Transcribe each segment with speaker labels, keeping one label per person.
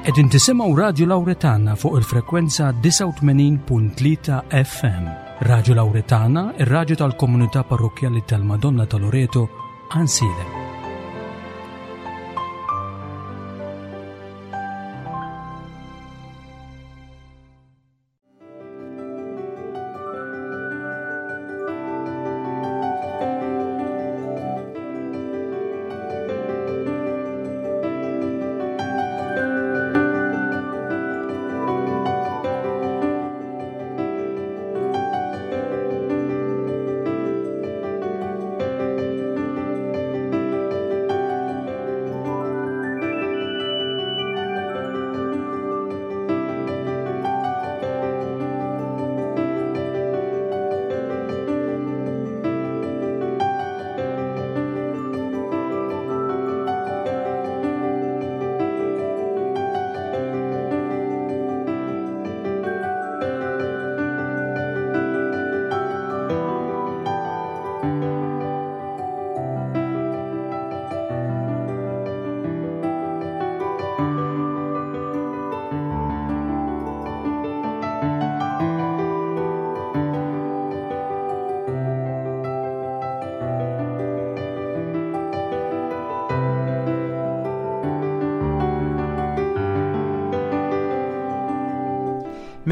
Speaker 1: Qegħdin tisimgħu Radju Lawretana fuq il-frekwenza 89.3 FM. Radju Lawretana, ir-radju tal-komunità parrokkjali tal-Madonna ta' Loreto, Għansielem.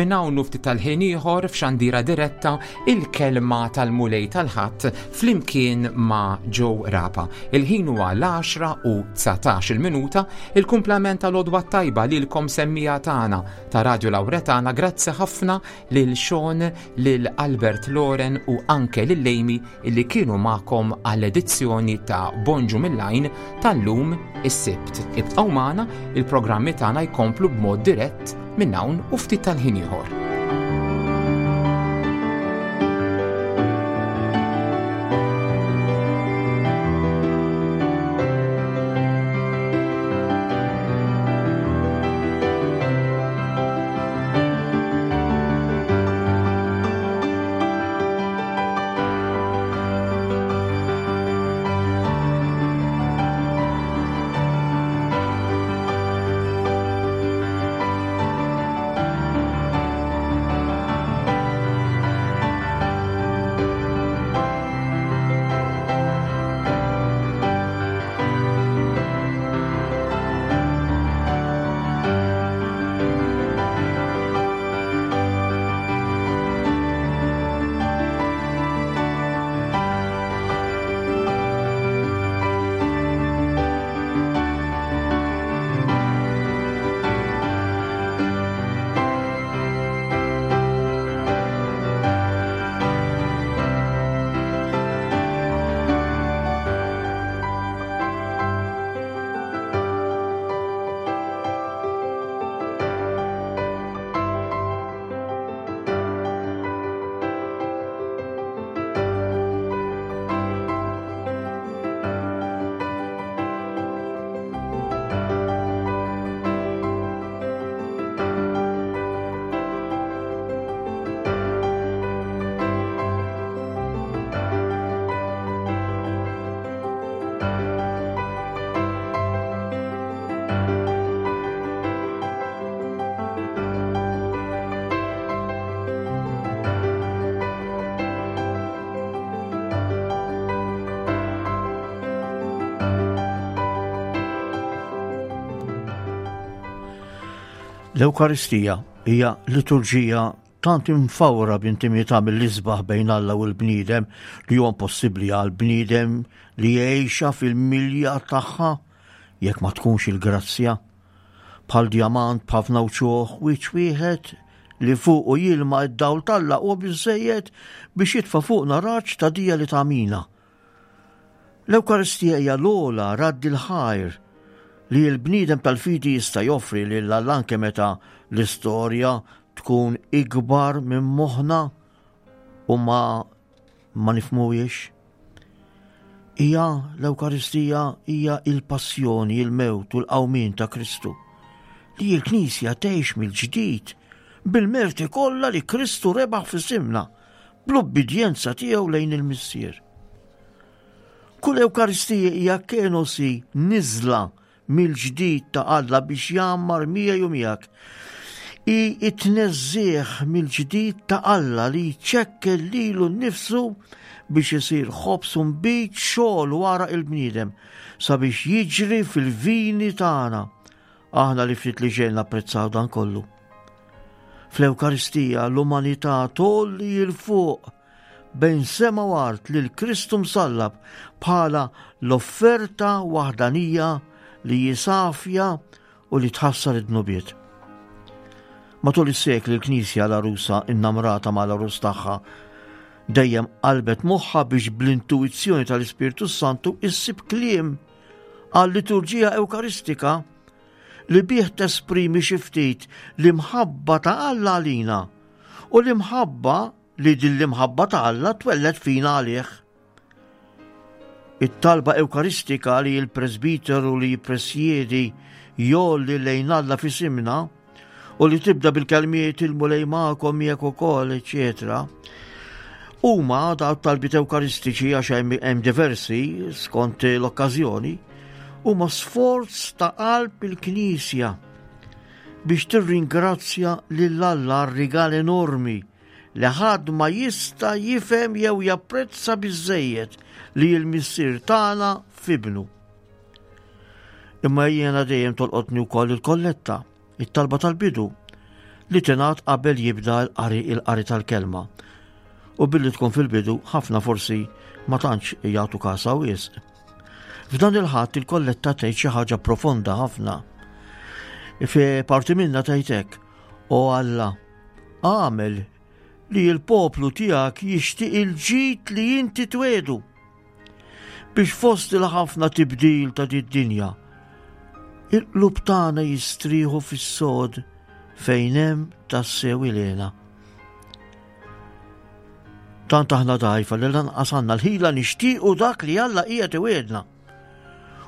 Speaker 2: Minn hawn u ftit tal-ħin ieħor f'xandira diretta il-kelma tal-Mulej tal-Ħadd flimkien ma' Joe Rapa. Il-ħin huwa l-10 u 19 il-minuta, il-kumplament tal-għodwa tajba lilkom semmija tagħna ta' Radio Lawretana, grazzi ħafna lil Sean, lil Albert Loren u anke lil Amy illi kienu magħkom għall-edizzjoni ta' Bonġu mill-Għajn tal-lum is-Sibt. Ibqgħu magħna, il-programmi tagħna jkomplu b'mod dirett minn hawn u ftit tal-ħin ieħor.
Speaker 3: L-Ewkaristija hija liturġija tant imfawra b'intimità mill-isbaħ bejn Alla u l-bniedem li huwa impossibbli għal bniedem li jgħixha fil-milja tagħha jekk ma tkunx il-grazzja. Bħal djamant b'ħafna wċuħ wiċċ wieħed li fuqu jilma id-dawl t'Alla huwa biżżejjed biex jitfa' fuqna raġġ ta' dija li tagħmina. L-Ewkaristija hija l-ogħla radd il-ħajr li l-bniedem tal-fidi jista' joffri lil Alla anke meta l-istorja tkun ikbar minn moħħna u ma ma nifhmuhiex. Hija l-Ewkaristija hija il-passjoni, il-mewt u l-qawmien ta' Kristu li l-Knisja tgħix mill-ġdid bil-merti kollha li Kristu rebaħ f'isimna bl-ubbidjenza tiegħu lejn il-Missier. Kull Ewkaristija hija kenosi niżla. mill-ġdid ta' Alla biex jgħammar miegħi u miegħek. Hi t-tneżżigħ mill-ġdid ta' Alla li jċekkel lilu nnifsu biex isir ħobż u nbid xogħol wara il-bniedem sabiex jiġri fil-vini tagħna. Aħna li ftit li xejn napprezzaw dan kollu. Fl-Ewkaristija l-umanità tgħolli 'l fuq bejn sema u art lil Kristu msallab bħala l-offerta waħdanija li hi safja u li tħassar id-dnubiet. Matul is-sekli l-Knisja l-għarusa innamrata mal-għarus tagħha dejjem qalbet moħħha biex bl-intuizzjoni tal-Ispirtu Santu issib kliem għal-liturġija Ewkaristika li bih tesprimi xi ftit l-imħabba ta' Alla għalina u l-imħabba li din l-imħabba ta' Alla twelled fina għalih. It-talba Ewkaristika li l-presbiteru li jippresjedi jolli lejn Alla f'isimna u li tibda bil-kelmiet il-Mulej magħkom miegħek ukoll, eċetera. Huma daw talbiet Ewkaristiċi għax hemm diversi skont l-okkażjoni, huma sforz ta' qalb il-Knisja biex tirringrazzja lil Alla għar-rigal enormi li ħadd ma jista' jifhem jew japprezza biżżejjed li l-Missier tagħna f'Ibnu. Imma jiena dejjem tolqotni wkoll il-kolletta, it-talba tal-bidu, li tingħad qabel jibda l-qari il-qari tal-kelma. U billi tkun fil-bidu ħafna forsi ma tantx jagħtu kasa wisq. F'dan il-ħadd il-kolletta tgħid xi ħaġa profonda ħafna. Fi parti minna tgħid hekk, O Alla, Agħmel li l-poplu tiegħek jixtieq il-ġid li inti twedu biex fost il-ħafna tibdil ta' did-dinja il-qlub tagħna jistrieħu fis-sod fejn hemm tassew ilena. Tant aħna dgħajfa li lanqas għandna l-ħila nixtiequ dak li Alla qiegħed iwiegħdna.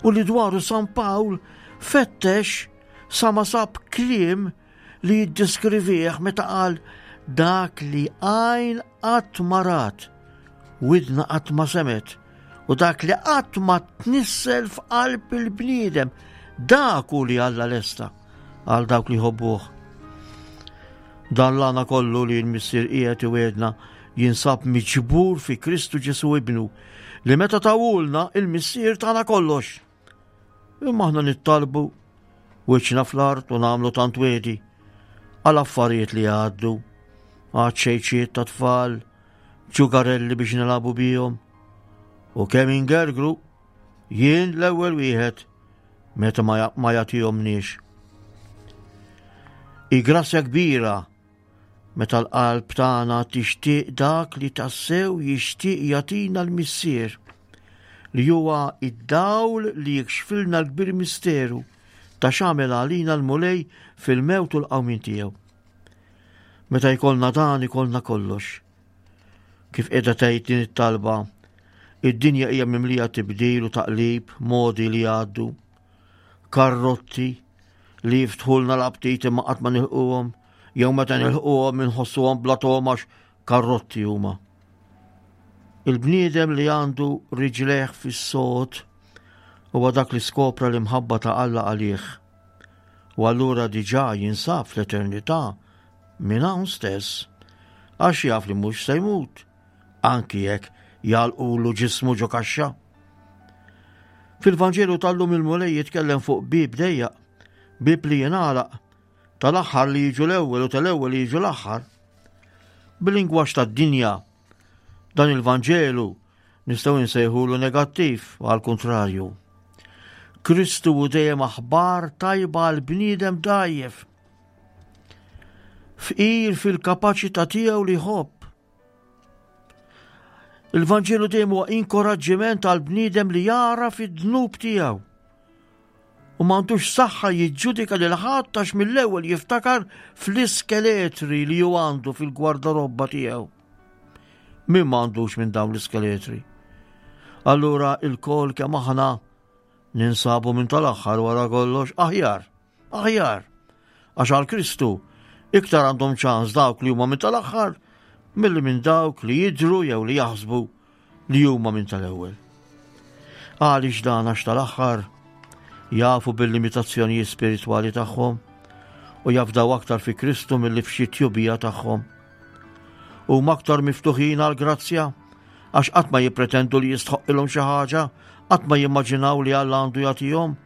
Speaker 3: U li dwaru San Pawl fettex sa ma sab kliem li jiddeskrivih meta qal dak li għajn qatt ma rat, widna qatt ma semgħet, u dak li qatt ma tnissel f'qalb il-bniedem, dak hu li Alla lesta għal dawk li jħobbuh. Dan l-għana kollu li l-Missier qiegħed iwegħedna jinsab miġbur fi Kristu Ġesu ibnu li meta tawulna il-Missier tagħna kollox. Imma aħna nittalbu wiċċna fl-art u nagħmlu tant wedi għal affarijiet li għaddu, għad xejċiet ta' tfal, ġugarelli biex nilagħbu bihom. U kemm ingergru, jien l-ewwel wieħed meta ma jagħtihomniex. I grazzja kbira Meta l-qalb tagħna tixtieq dak li tassew jixtieq jagħtina l-Missier, li huwa id-dawl li jikxfilna l-kbir misteru ta' x'għamel għalina l-Mulej fil-mewt u l-qawmien tiegħu. Meta jkollna dan ikollna kollox. Kif qiegħda tgħid din it-talba, id-dinja hija mimlija tibdil u taqlib, modi li jgħaddu, karrotti li jiftħulna l-aptit imma qatt ma nilquhom, jew meta nilħquhom inħossuhom bla togħma għax karrotti huma. Il-bniedem li għandu riġlejh fis-sod huwa dak li skopra l-imħabba ta' Alla għalih. U allura diġà jinsab fl-eternità minn hawn stess għax jaf li mhux se jmut anki jekk jagħlqulu ġismu ġo kaxxa. Fil-Vanġelu tal-lum il-Mulej jitkellem fuq bieb dejjaq, bieb li jingħalaq, tal-aħħar li jiġu l-ewwel u tal-ewwel li jiġu l-aħħar. Bil-lingwaġġ tad-dinja, dan il-Vanġelu nistgħu nsejħulu negattiv għal kuntrarju. Kristu hu dejjem aħbar tajba għal bniedem dgħajjef. Fqir fil-kapaċità tiegħu li jħobb. Il-Vanġelu dejjem huwa inkoraġġiment għal bniedem li jara fid-dnub tiegħu. U m'għandux saħħa jiġġudika lil ħadd għax mill-ewwel jiftakar fl-iskeletri li hu għandu fil-gwardarobba tiegħu. Min m'għandux minn dawn l-iskeletri? Allura il-kol kemm aħna ninsabu minn tal-aħħar wara kollox aħjar. Aħjar, għax għal Kristu iktar għandhom ċans dawk li huma minn tal-aħħar milli minn dawk li jidhru jew li jaħsbu li huma minn tal-ewwel. Għaliex dan għax tal-aħħar Jafu bil-limitazzjonijiet spiritwali tagħhom u jafdaw aktar fi Kristu milli f'xi tjubija tagħhom. Huma aktar miftuħin għall-grazzja għax qatt ma jippretendu li jistħoqqilhom xi ħaġa, qatt ma jimmaġinaw li Alla għandu jagħtihom,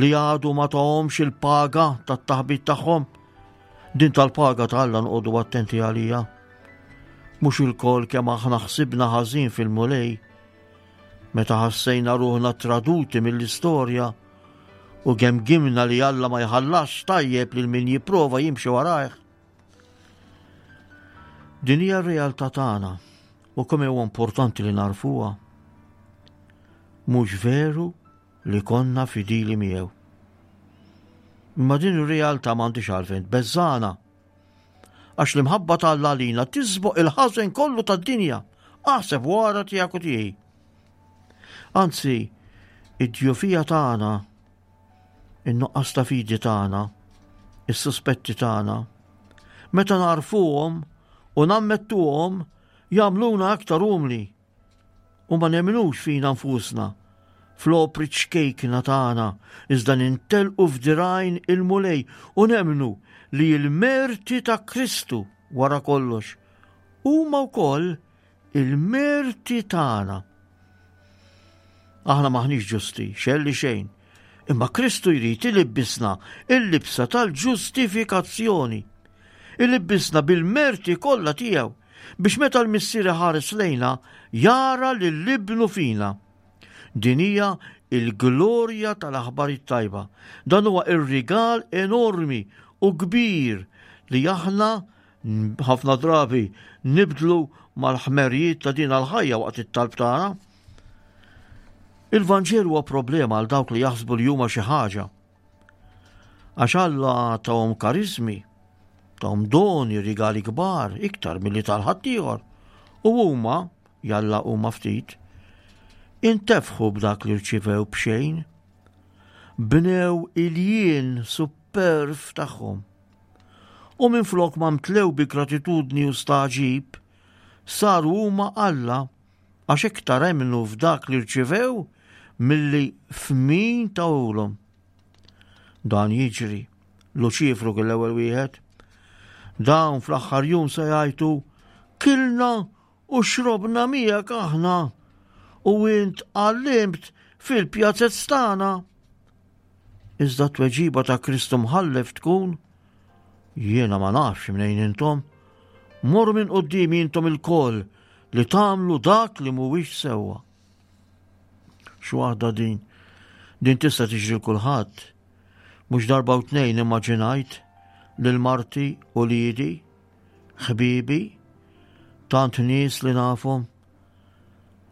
Speaker 3: li għadu ma tahomx il-paga tat-taħbit tagħhom. Din tal-paga ta' Alla nqogħdu attenti għalija. Mhux ilkoll kemm aħna ħsibna ħażin fil-Mulej, meta ħassejna ruħna traduti mill-istorja u gemgimna li Alla ma jħallasx tajjeb lil min jipprova jimxi warajh. Din hija r-realtà tagħna u kemm huwa importanti li narfuha. Mhux veru li konna fidili miegħu. Imma din ir-realtà m'għandix għalfejn tbeżżana. Għax l-imħabba ta' Alla għalina tisboq il-ħażen kollu tad-dinja. Aħseb wara tiegħek u tiegħi. Anzi, id-djufija tagħna, in-nuqqas ta' fidi tagħna, is-suspetti tagħna, meta narfuhom u nammettuhom jagħmluna aktar umli u ma nemnux fina nfusna, fl-opri ċkejkna tagħna, iżda nintelqu f'dirgħajn il-Mulej u nemmnu li l-merti ta' Kristu wara kollox huma wkoll il-merti tagħna. Aħna maħniex ġusti, xejn li xejn, imma Kristu jrid ilibbisna il-libsa tal-ġustifikazzjoni. Ilibbisna bil-merti kollha tiegħu biex meta l-Missier iħares lejna jara lil Ibnu fina. Din hija il-glorja tal-aħbar it-tajba. Dan huwa ir-rigal enormi u kbir li aħna ħafna drabi nibdlu mal-ħmerijiet ta' din għal-ħajja waqt it-talb tagħna. Il-Vanġelu huwa problema għal dawk li jaħsbu li huma xi ħaġa. Għax Alla tahom karizmi, tahom doni, rigali kbar, iktar milli tal-ħaddieħor. U huma, jalla huma ftit, intefħu b'dak li rċivew b'xejn. Bnew il-jien superf tagħhom. U minflok ma mtlew bi gratitudni u staġib, saru huma Alla għax iktar emmnu f'dak li rċivew milli f'min tawhulhom. Dan jiġri. Luċifru kien l-ewwel wieħed. Dawn fl-aħħar jum se jgħajtu kilna u xrobna miegħek aħna u int għallimt fil-pjazez tagħna. Iżda t-tweġiba ta' Kristu mħallef tkun jiena ma nafx mnejn intom. Morru minn quddiemi intom ilkoll li tagħmlu dak li mhuwiex sewwa. X'waħda din? Din tista' tiġri kulħadd. Mhux darba u tnejn immaġinajt lil marti u lidi, ħbibi, tant nies li nafhom,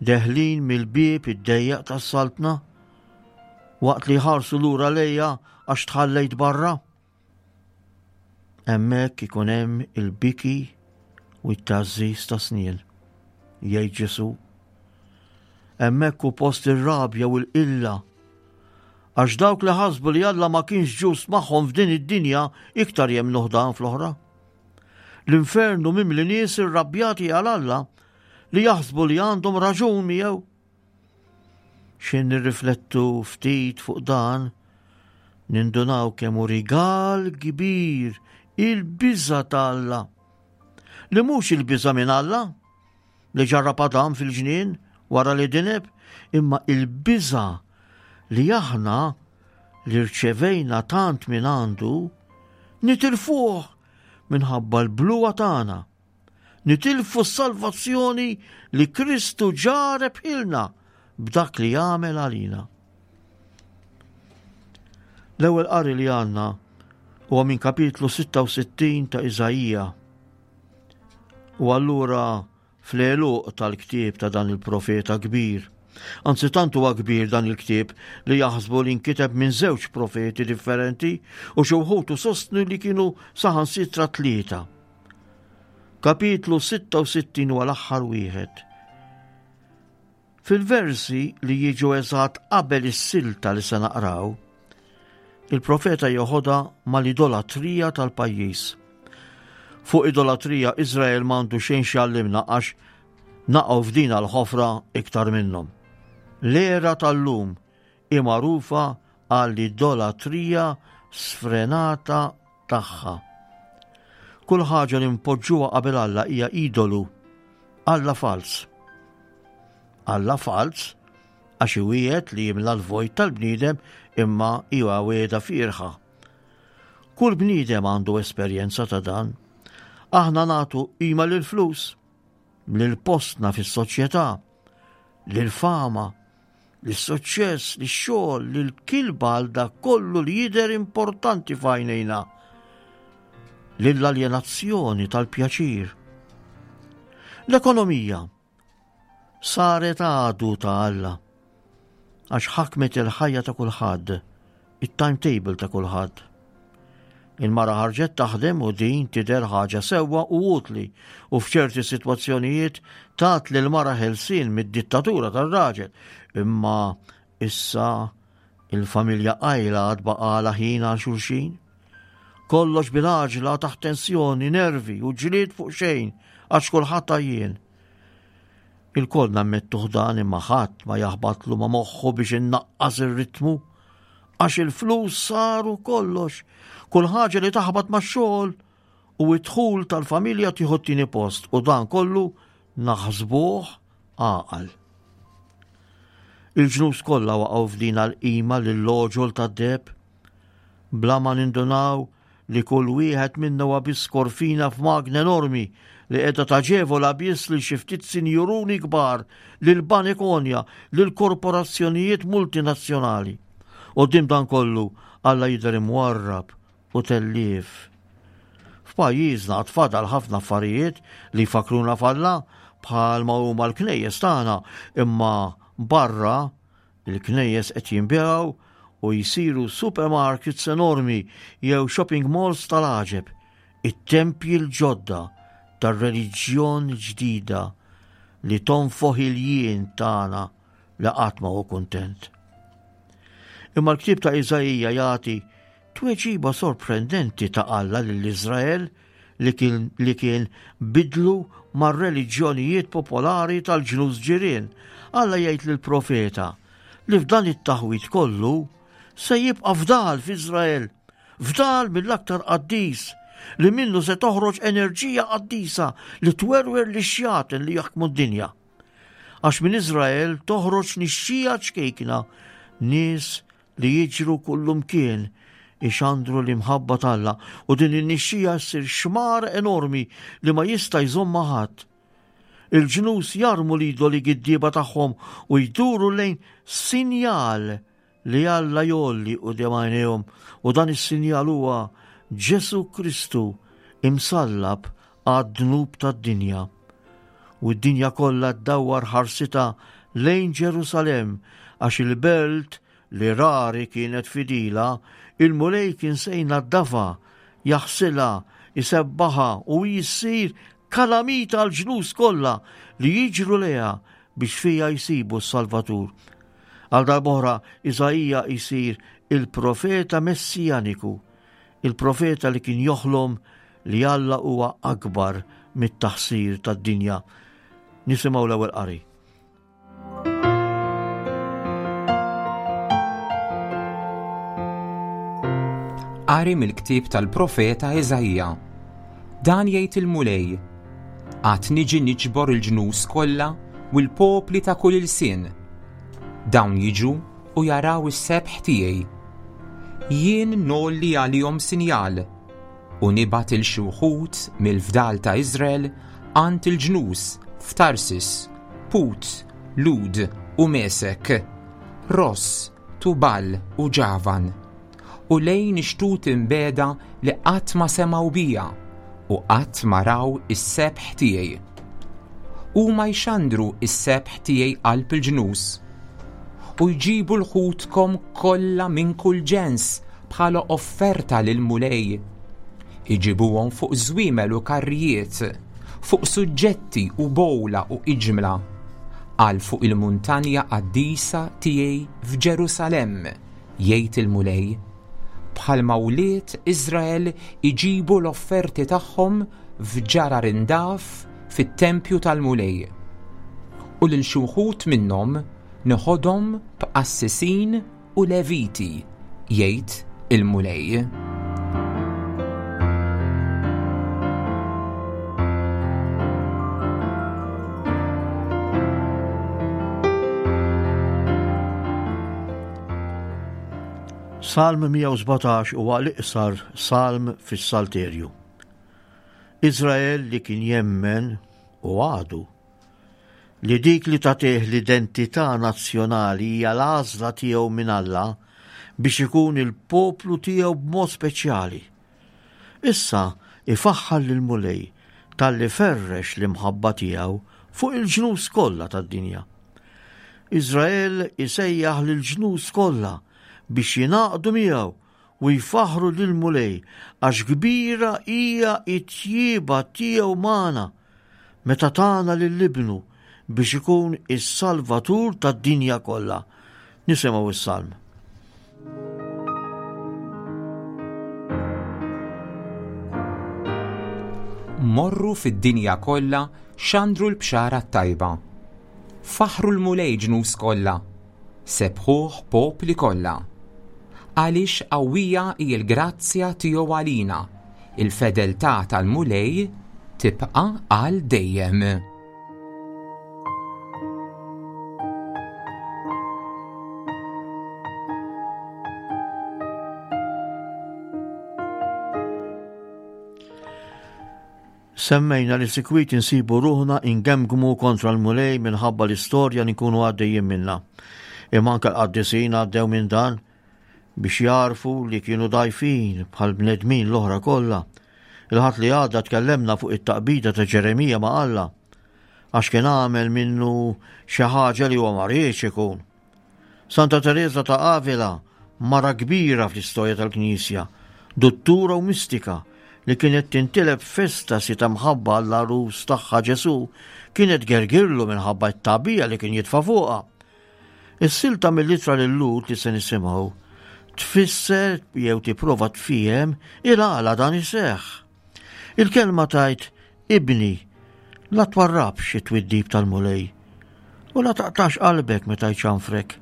Speaker 3: deħlin mill-bieb id-dejjaq tas-saltna, waqt li jħarsu lura lejja għax tħallejt barra. Hemmhekk ikun hemm il-biki u t-tgħażżiż ta' snien, jgħid Ġesù. Hemmhekk hu post ir-rabja u l-qilla. Għax dawk li ħasbu li Alla ma kienx ġust magħhom f'din id-dinja iktar jemmnuh dan fl-oħra. L-infernu mimli nies irrabjati għal Alla li jaħsbu li għandhom raġun miegħu. X'in nirriflettu ftit fuq dan, nindunaw kemm hu rigal kbir il-biża' ta' Alla. Li mhux il-biża' minn Alla, li ġarrab Adam fil-ġnien wara li dineb, imma il-biża' li aħna li rċevejna tant minn għandu nitilfuh minħabba l-bluwa tagħna. Nitilfu s-salvazzjoni li Kristu ġa rebħilna b'dak li għamel għalina. L-ewwel qari li għandna huwa minn kapitlu 66 ta' Iżaija. U allura fl-għeluq tal-ktieb ta' dan il-profeta kbir. Anzi tant huwa kbir dan il-ktieb li jaħsbu li nkiteb minn żewġ profeti differenti u xi wħud sostnu li kienu saħansitra tlieta. Kapitlu 66 huwa l-aħħar wieħed. Fil-versi li jiġu eżatt qabel is-silta li se naqraw, il-profeta joħodha mal-idolatrija tal-pajjiż. Fuq idolatrija Iżrael m'għandu xejn x'jgħallimna għax naqgħu f'din l-ħofra iktar minnhom. L-era tal-lum hi magħrufa għall-idolatrija sfrenata tagħha. Kull ħaġa li npoġġuha qabel Alla hija idolu, Alla falz. Alla falz għax iwiegħed li jimla l-vojt tal-bniedem imma hija wiegħda fierħa. Kull bniedem għandu esperjenza ta' dan. Aħna nagħtu qima lill-flus, lil postna fis-soċjetà, lil fama, lis-suċċess, lix-xogħol, lill-kilba għal dak kollu li jidher importanti f'għajnejna, lill-aljenazzjoni tal-pjaċir. L-ekonomija saret għadu ta' Alla għax ħakmet il-ħajja ta' kulħadd, it-timetable ta' kulħadd. Il-mara ħarġet taħdem u din tidher ħaġa sewwa u utli u f'ċerti sitwazzjonijiet tat lil mara ħelsien mid-dittatura tar-raġel. Imma issa il-familja qajla għad baqala ħin għal xulxin. Kollox bil-għaġla taħt tensjoni, nervi u ġlied fuq xejn għax kulħadd għajjien. Ilkoll nammettuh dan imma ħadd ma jaħbatlu ma' moħħu biex innaqqas ir-ritmu. Għax il-flus saru kollox. Kull ħaġa li taħbat max-xogħol u d-dħul tal-familja tieħu t-tieni post u dan kollu naħsbuh għaqal. Il-ġnus kollha waqgħu f'din għal-qima lill-oġol tad-deheb bla ma nindunaw li kull wieħed minna huwa biss korfina f'magna enormi li qiegħda taġevola biss lil xi ftit sinjuruni kbar, lil banek għonja, lil korporazzjonijiet multinazzjonali. Quddiem dan kollu, Alla jidher imwarrab u tellief. F'pajjiżna għad fadal ħafna affarijiet li jfakkruna f'Alla bħal ma huma l-knejjes tagħna, imma barra Il-knejjes qed jinbiegħu u jsiru supermarkets enormi jew shopping malls tal-għaġeb, it-tempji l-ġodda tar-reliġjon ġdida li tonfoħ il-jien tagħna li qatt ma hu kuntent. Imma l-ktieb ta' Iżaija jagħti Tweġiba sorprendenti ta' Alla lil Iżrael li kien, li kien bidlu mar-reliġjonijiet popolari tal-ġnus ġirien. Alla jgħid lill-profeta li f'dan it-taħwid kollu se jibqa' fdal f'Iżrael, fdal mill-aktar qaddis, li minnu se toħroġ enerġija qaddisa li twerwer lix-xjaten li jaħkmu d-dinja. Għax minn Iżrael toħroġ nixxija ċkejkna, nies li jiġru kullumkien ixandru l-imħabba t'Alla u din in-nixxija ssir xmar enormi li ma jista' jżommha ħadd. Il-ġnus jarmu l-idoli giddieba tagħhom u jduru lejn sinjal li Alla jgħolli quddiem għajnejhom u dan is-sinjal huwa Ġesù Kristu imsallab għad-dnub tad-dinja. U d-dinja kollha ddawwar ħarsitha lejn Ġerusalemm għax il-belt li rari kienet fidila, il-Mulej kien se jnaddafha, jaħsilha, isebbaħha u hi ssir kalamita għall-ġnus kollha li jiġru lejha biex fiha jsibu s-Salvatur. Għal darb'oħra Iżaija jsir il-profeta messijaniku, il-profeta li kien joħlom li Alla huwa akbar mit-taħsir tad-dinja. Nisimgħu l-ewwel qari.
Speaker 2: Qari mill-ktieb tal-profeta Iżaija. Dan jgħid il-Mulej, Għad niġi niġbor il-ġnus kollha u l-popli ta' kull ilsien. Dawn jiġu u jaraw is-sebħ tiegħi. Jien ngħolli għalihom sinjal U nibgħat 'il xi wħud mill-fdal ta' Iżrael għand il-ġnus f'Tarsis, Put, Lud u Mesek, Ross, Tubal u Ġavan, u lejn ix-xtut imbiegħda li qatt ma semgħu bija u qatt ma raw is-sebħ tiegħi. Huma jxandru s-sebħ tiegħi qalb il-ġnus, u jġibu l-ħutkom kollha minn kull ġens bħala offerta lill-Mulej. Iġibuhom fuq żwiemel u karrijiet, fuq suġġetti u bowla u iġmla, għal fuq il-muntanja qaddisa tiegħi f'Ġerusalemm, jgħid il-Mulej. Bħalma wlied Iżrael iġibu l-offerti tagħhom f'ġarar indaf fit-tempju tal-Mulej. U lil xi wħud minnhom neħodhom b'qassisin u Leviti, jgħid il-Mulej.
Speaker 3: Salm 117 huwa l-iqsar salm fis-Salterju. Iżrael li kien jemmen u għadu li dik li tagħtih l-identità nazzjonali hija l-għażla tiegħu minn Alla biex ikun il-poplu tiegħu b'mod speċjali. Issa ifaħħar lill-Mulej talli ferrex l-imħabba tiegħu fuq il-ġnus kollha tad-dinja. Iżrael isejjaħ lill-ġnus kollha biex jingħaqdu miegħu u jfaħħru lill-Mulej għax kbira hija t-tjieba tiegħu magħna meta tana lil Ibnu biex ikun is-Salvatur tad-dinja kollha. Nisimgħu s-salm.
Speaker 2: Morru fid-dinja kollha xandru l-bxara t-tajba. Faħħru l-Mulej ġnus kollha, sebħuh popli kollha. Għaliex qawwija hi l-grazzja tiegħu għalina, il-fedeltà tal-Mulej tibqa' għal dejjem.
Speaker 3: Semmejna li sikwit insibu ruħna ingemgmu kontra l-Mulej minħabba l-istorja li nkunu għaddejjin minnha. Imma anke l-qaddisin għaddew minn dan biex jagħrfu li kienu dgħajfin bħal bnedmin l-oħra kollha. Il-Ħadd li għadda tkellemna fuq it-taqbida ta' Ġeremija ma' Alla għax kien għamel minnu xi ħaġa li huwa ma riedx ikun. Santa Tereża ta' Avila, mara kbira fl-istorja tal-Knisja, duttura u mistika li kienet tintileb f'estasi ta' mħabba għall-għarus tagħha Ġesù, kienet gergirlu minħabba t-tagħbija li kien jitfa' fuqha. Is-silta mill-ittra lil-Lhud li se nisimgħu tfisser jew tipprova tfiehem il-għala dan iseħħ. Il-kelma tgħid Ibni, la twarrabx it-twiddib tal-Mulej, u la taqtax qalbek meta jċanfrek,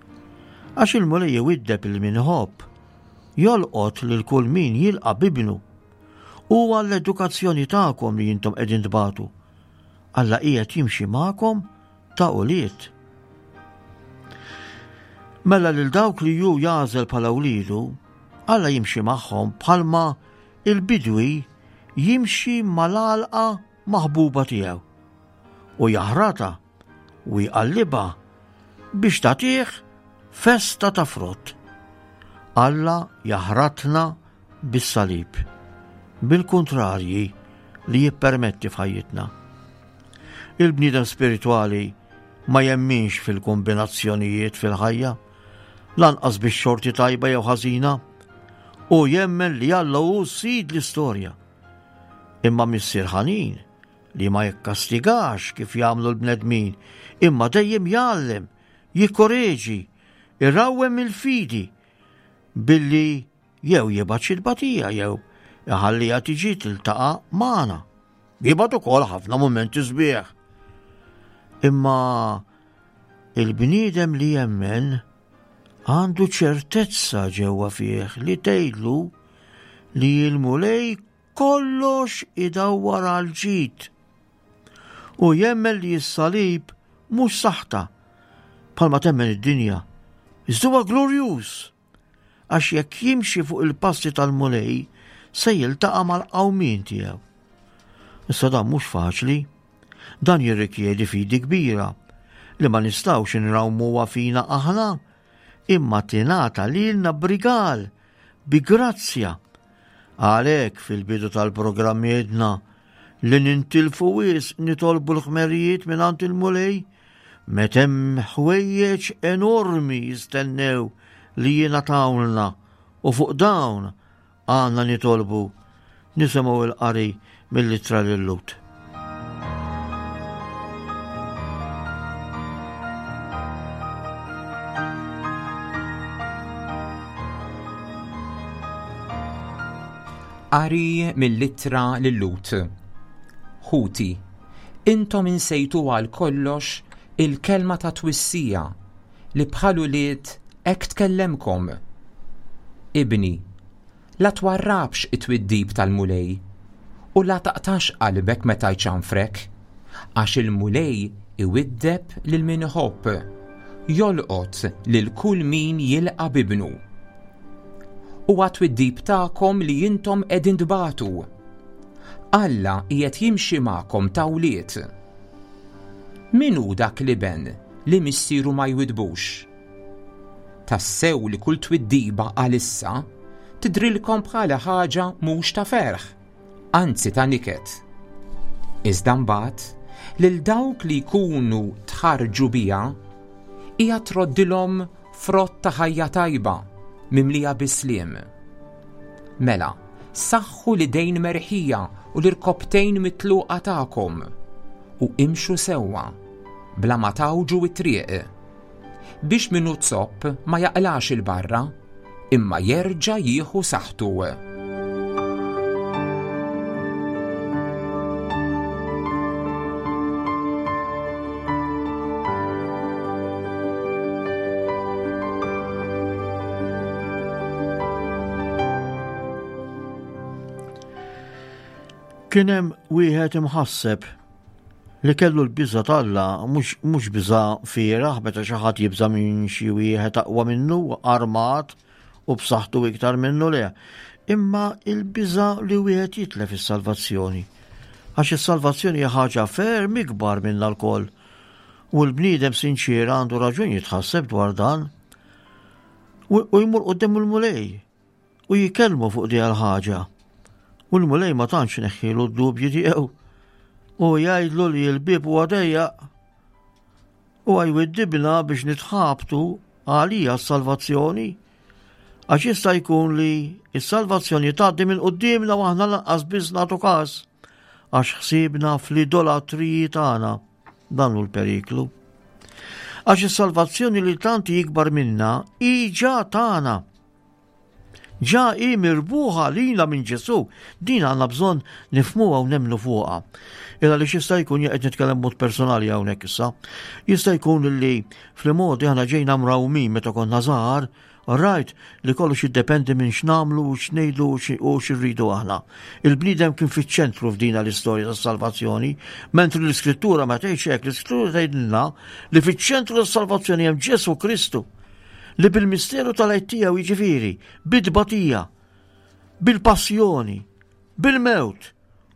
Speaker 3: għax il-Mulej iwiddeb lil min iħobb, jolqot lil kull min jilqa' b'ibnu. Hu għall-edukazzjoni tagħkom li intom qegħdin tbatu. Alla qiegħed jimxi magħkom ta' ulied. Mela lil dawk li hu jagħżel bħala wliedu, Alla jimxi magħhom bħalma il-bidwi jimxi mal-għalqa maħbuba tiegħu u jaħratha u jqallibha biex tagħtih festa ta' frott. Alla jaħratna bis-salib, bil-kuntrarji li jippermetti f'ħajjitna. Il-bniedem spiritwali ma jemminx fil-kombinazzjonijiet fil-ħajja, lanqas bix-xorti tajba jew ħażina. Hu jemmen li Alla hu sid l-istorja. Imma missier ħanin li ma jikkastigax kif jagħmlu l-bnedmin, imma dejjem jgħallem, jikkoreġi, irawwem il-fidi billi jew jibgħat xi tbatija jew iħalliha tiġi tiltaqa' magħna. Jibgħat ukoll ħafna mumenti sbieħ. Imma il-bniedem li jemmen għandu ċertezza ġewwa fih li tgħidlu li l-Mulej kollox idawwar għal ġid. U jemmen li s-salib mhux saħta bħalma temmen id-dinja, iżda huwa glorjuż għax jekk jimxi fuq il-passi tal-Mulej se jiltaqa' mal-qawmien tiegħu. Issa dan mhux faċli. Dan jirrikjedi fidi kbira li ma nistgħux inrawmuha fina aħna imma tingħata lilna b'rigal, bi grazzja. Għalhekk fil-bidu tal-programm għedna li nintilfu wisq nitolbu l-ħmerijiet mingħand il-Mulej meta hemm ħwejjeġ enormi jistennew li jingħatawlna u fuq dawn għandna nitolbu nisimgħu l-qari mill-ittra lil Lut.
Speaker 2: Qari mill-ittra lil Lut. Ħuti, intom insejtu għal kollox il-kelma ta' twissija li bħal ulied hekk tkellemkom. Ibni, la twarrabx it-twiddib tal-Mulej, u la taqtax qalbek meta jċanfrek, għax il-Mulej iwiddeb lil min iħobb, jolqot lil kull min jilqa' b'ibnu. Huwa t-twiddib tagħkom li intom qegħdin tbatu. Alla qiegħed jimxi magħkom ta' wlied. Min hu dak l-iben li missieru ma jwiddbux? Tassew li kull twiddiba għalissa tidhrilkom bħala ħaġa mhux ta' ferħ, anzi ta' niket. Iżda mbagħad lil dawk li jkunu tħarrġu biha hija troddilhom frott ta' ħajja tajba mimlija bis-sliem. Mela, saħħu l-idejn merħija u l-irkopptejn mitluqa tagħkom u imxu sewwa bla ma tgħawġu t-triq biex min hu zopp ma jaqlax 'il barra, imma jerġa' jieħu saħħtu.
Speaker 3: Kien hemm wieħed imħasseb li kellu l-biża' t'Alla, mhux mhux biża' fieragħ meta xi ħadd jibża' minn xi wieħed aqwa minnu, armat u b'saħħtu iktar minnu le, imma il-biża' li wieħed jitlef is-salvazzjoni. Għax is-salvazzjoni hija ħaġa ferm ikbar minna lkoll. U l-bniedem sinċier għandu raġun jitħasseb dwar dan. U jmur quddiem il-Mulej. U jikellmu fuq di l-ħaġa. U l-Mulej ma tantx neħħilu d-dubji tiegħu. U jgħidlu li l-bieb huwa dejjaq. U jwiddibna biex nitħabtu għalija s-salvazzjoni. Għax jista' jkun li s-salvazzjoni tgħaddi minn quddiemna u aħna lanqas biss nagħtu każ għax ħsiebna fl-idolatriji tagħna. Dan hu l-periklu. Għax is-salvazzjoni li tant jikbar minna hi ġa tagħna. Ġa hi mirbuħa lilna minn Ġesù. Din għandna bżonn nifhmuha u nemmnu fuqha. Illa li jista' jkun qed nitkellem mod personali hawnhekk issa. Jista' jkun li fl-modi aħna ġejna mrawmin meta konna żgħar, rajt li kollox jiddependi minn x'nagħmlu u x'ngħidu u x'irridu aħna. Il-bniedem kien fiċ-ċentru f'dina l-istorja tas-salvazzjoni, mentri l-Iskrittura ma tgħidx hekk, l-Iskrittura tgħidilna li fiċ-ċentru tas-salvazzjoni hemm Ġesù Kristu. li bil-misteru tal-għid tiegħu jiġifieri bit-tbatija, bil-passjoni, bil-mewt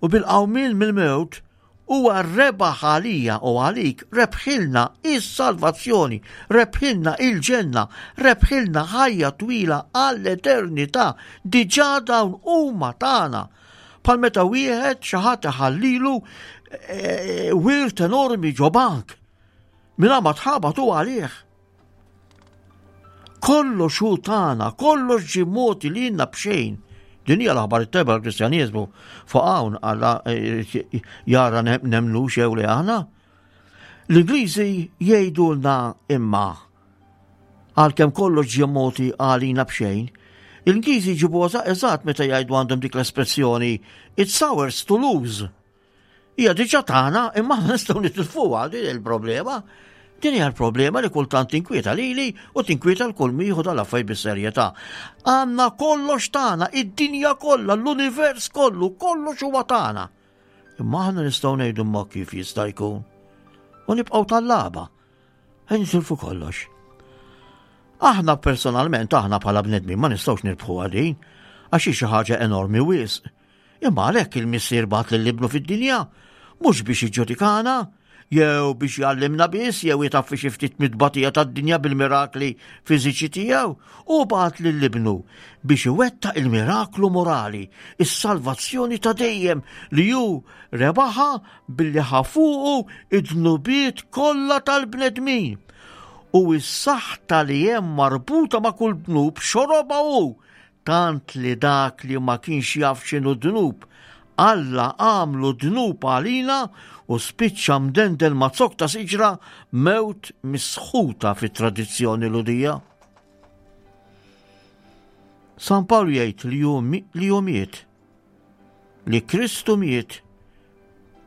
Speaker 3: u bil-qawmien mill-mewt huwa rebaħ għalija u għalik, rebħilna is-salvazzjoni, rebħilna il-ġenna, rebħilna ħajja twila għall-eternità, diġà dawn huma tagħna. Bħal meta wieħed xi ħadd iħallilu eh, wirt enormi ġo bank. Mingħajr ma tħabat hu għalih. Kollox hu tagħna, kollox ġie mogħti lilna b'xejn. Din hija l-aħbar it-tajba tal-Kristjaniżmu fuq hawn Alla eh, jara nemnu xew li aħna. L-Ingliżi jgħidulna imma għalkemm kollox ġie mogħti għalina b'xejn, l-Ingliżi jġibu eżatt meta jgħidu għandhom dik l-espressjoni it's ours to lose. Hija diġà tagħna imma aħna nistgħu nitilfuha din il-problema. Din hija l-problema li kultant tinkwieta lili u tinkwieta l-kull mieħu dal-affarijiet bis-serjetà. Għandna kollox tagħna, id-dinja kollha, l-univers kollu, kollox huwa tagħna. Imma aħna nistgħu ngħidu ma kif jista' jkun. U nibqgħu tal-laba. Nitilfu kollox. Aħna personalment, aħna bħala bnedmin ma nistgħux nirbħu din, għax hi xi ħaġa enormi wisq. Imma għalhekk il-Missier bagħat lil Ibnu fid-dinja, mhux biex jiġġudikana, jew biex jgħallimna biss jew jtaffi xi ftit mit-tbatija tad-dinja bil-mirakli fiżiċi tiegħu, hu bagħat lil Ibnu biex iwettaq il-miraklu morali, is-salvazzjoni ta' dejjem li hu rebaħha billi ħa fuqu id-dnubiet kollha tal-bnedmin. U s-saħta li hemm marbuta ma' kull dnub xorobha hu Tant li dak li ma kienx jaf x'inhu dnub, Alla għamlu dnub għalina u spiċċa mdendel ma' zokk ta' siġra mewt misħuta fit-tradizzjoni Lhudija. San Pawl jgħid li hu li hu miet, li Kristu miet,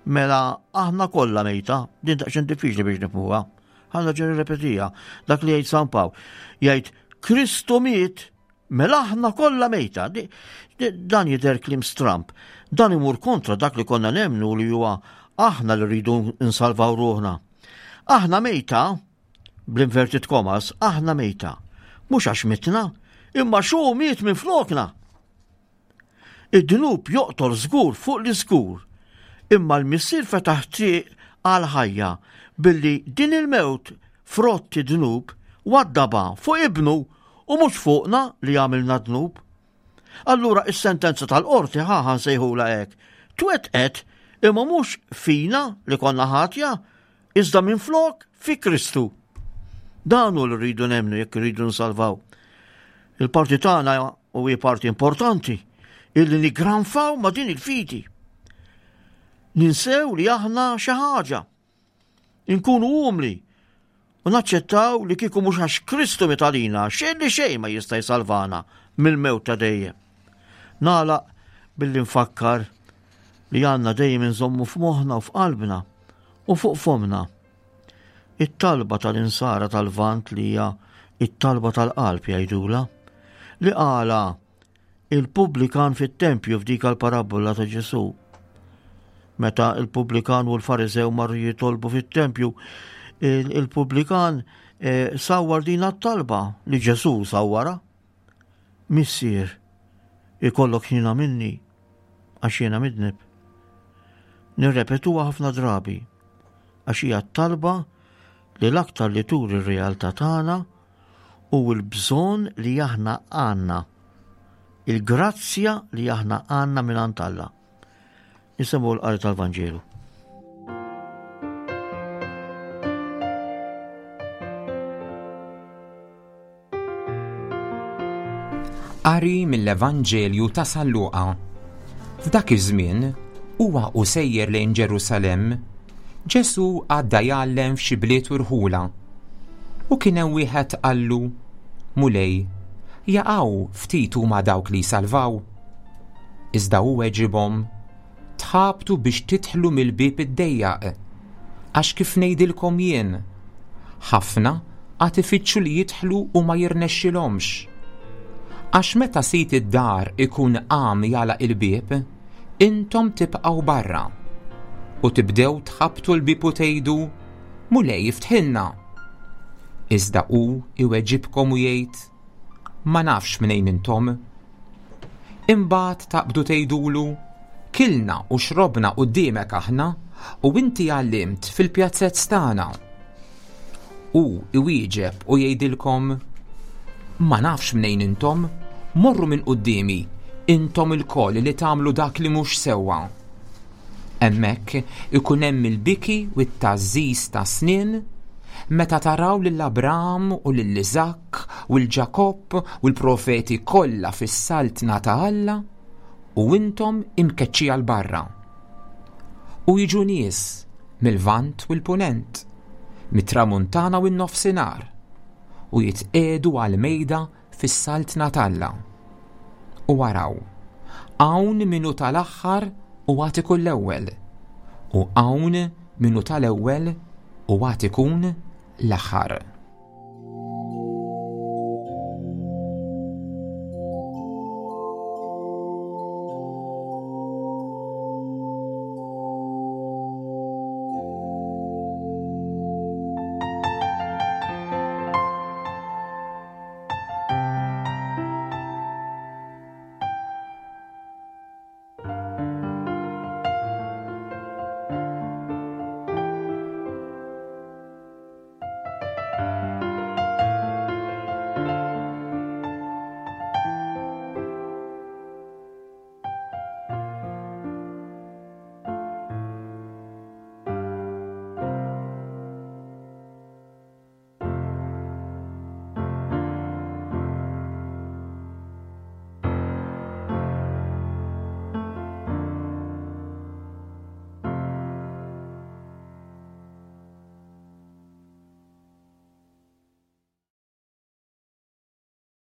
Speaker 3: mela aħna kollha mejta, din daqsxejn diffiċli biex nifhmuha. Ħa nerġa' nirrepetiha, dak li jgħid San Pawl. Jgħid Kristu miet. Mela aħna kollha mejta. Dan jidher kliem stramb. Dan imur kontra dak li konna nemmnu li huwa aħna li rridu nsalvaw ruħna. Aħna mejta, bl-inverted commas, aħna mejta. Mhux għax mitna, imma xu miet minn flokna. Id-dnub joqtol żgur fuq li żgur, imma l-Missier fetaħ triq għal ħajja billi din il-mewt frott id-dnub waddabha fuq ibnu u mhux fuqna li għamilna dnub. Allura is-sentenza tal-qorti ħa ħa nsejħulha hekk, twettqet imma mhux fina li konna ħatja, iżda minflok fi Kristu. Dan hu li rridu nemmnu jekk irridu nsalvaw. Il-parti tagħna u hi parti importanti illi niggranfaw ma' din il-fidi. Ninsew li aħna xi ħaġa. Inkunu umli u naċċettaw li kieku mhux għax Kristu miet għalina, xejn li xejn ma jista' jsalvana mill-mewt ta' dejjem. Nagħlaq billi nfakkar li għandna dejjem inżommu f'moħħna u f'qalbna u fuq fomna It-talba tal-insara tal-Lvant li hija it-talba tal-qalb jgħidula, li qala il-pubblikan fit-tempju f'dik l-parabbola ta' Ġesù. Meta il-pubblikan u l-Fariżew marru jitolbu fit-tempju, il-pubblikan eh, sawwar din t-talba li Ġesù sawwara. Missier, ikollok ħnina minni għax jiena midneb. Nirrepetuha ħafna drabi għax hija t-talba li l-aktar li turi r-realtà tagħna u l-bżonn li aħna għandna, il-grazzja li aħna għandna mingħand Alla. Nisimgħu l-qari tal-Vanġelu.
Speaker 2: Qari mill-Evanġelju ta' San Luqa. F'dak iż-żmien, huwa u sejjer lejn Ġerusalemm, Ġesù għadda jgħallem f'xi bliet u rħula. U kien hemm wieħed qallu, Mulej, jaqaw ftit huma dawk li jsalvaw? Iżda hu weġibhom, Tħabtu biex tidħlu mill-bieb id-dejjaq, għax kif ngħidilkom jien, ħafna għad ifittxu li jidħlu u ma jirnexxilhomx. Għax meta sid id-dar ikun qam jagħlaq il-bieb, intom tibqgħu barra. U tibdew tħabbtu l-bieb u tgħidu, Mulej iftħilna. Iżda hu iweġibkom u jgħid, Ma nafx mnejn intom. Imbagħad taqbdu tgħidulu, Kilna u xrobna quddiemek aħna, u inti għallimt fil-pjazzezz tagħna. Hu iwieġeb u jgħidilkom, Ma nafx mnejn intom, morru minn quddiemi, intom ilkoll li tagħmlu dak li mhux sewwa. Hemmhekk ikun hemm il-biki u t-tgħażżiż tas-snien meta taraw lil Abraham u lil Iżakk u 'l Ġakobb u l-profeti kollha fis-saltna ta' Alla u intom imkeċċija 'l barra. U jiġu nies mil-Lvant u l-Punent, mit-Tramuntana u n-Nofsinhar, u jitqiegħdu għall-mejda fis-Saltna t'Alla. U araw, hawn min hu tal-aħħar u għad ikun l-ewwel, u hawn min hu tal-ewwel u għad ikun l-aħħar.